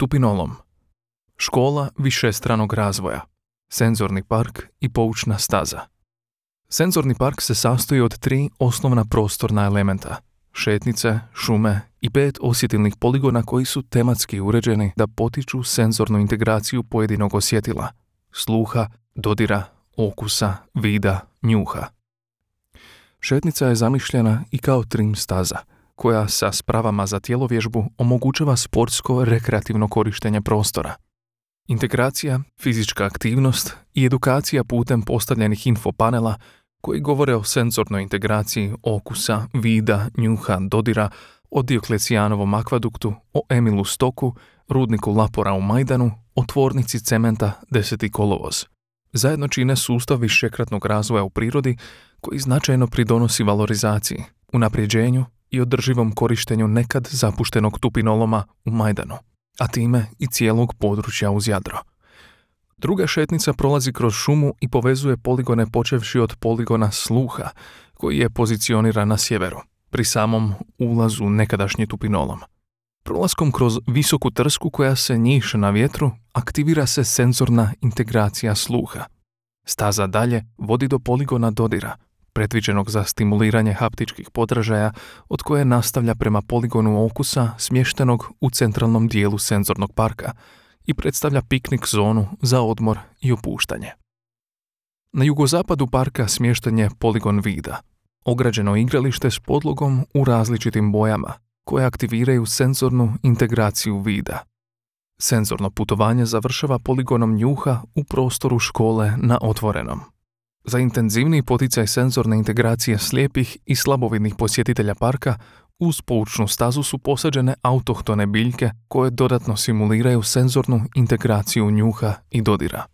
Tupinolom. Škola višestranog razvoja. Senzorni park i poučna staza. Senzorni park se sastoji od 3 osnovna prostorna elementa. Šetnice, šume i 5 osjetilnih poligona koji su tematski uređeni da potiču senzornu integraciju pojedinog osjetila, sluha, dodira, okusa, vida, njuha. Šetnica je zamišljena i kao trim staza, koja sa spravama za tjelovježbu omogućava sportsko-rekreativno korištenje prostora. Integracija, fizička aktivnost i edukacija putem postavljenih infopanela koji govore o senzornoj integraciji okusa, vida, njuha, dodira, o Dioklecijanovom akvaduktu, o Emilu Stoku, rudniku Lapora u Majdanu, o tvornici cementa 10. kolovoz. Zajedno čine sustav višekratnog razvoja u prirodi koji značajno pridonosi valorizaciji, unapređenju i održivom korištenju nekad zapuštenog tupinoloma u Majdanu, a time i cijelog područja uz Jadro. Druga šetnica prolazi kroz šumu i povezuje poligone počevši od poligona sluha, koji je pozicioniran na sjeveru, pri samom ulazu nekadašnji tupinolom. Prolaskom kroz visoku trsku koja se njiše na vjetru, aktivira se senzorna integracija sluha. Staza dalje vodi do poligona dodira, predviđenog za stimuliranje haptičkih podražaja, od koje nastavlja prema poligonu okusa smještenog u centralnom dijelu senzornog parka i predstavlja piknik zonu za odmor i opuštanje. Na jugozapadu parka smješten je poligon vida, ograđeno igralište s podlogom u različitim bojama, koje aktiviraju senzornu integraciju vida. Senzorno putovanje završava poligonom njuha u prostoru škole na otvorenom. Za intenzivniji poticaj senzorne integracije slijepih i slabovidnih posjetitelja parka, uz poučnu stazu su posađene autohtone biljke koje dodatno simuliraju senzornu integraciju njuha i dodira.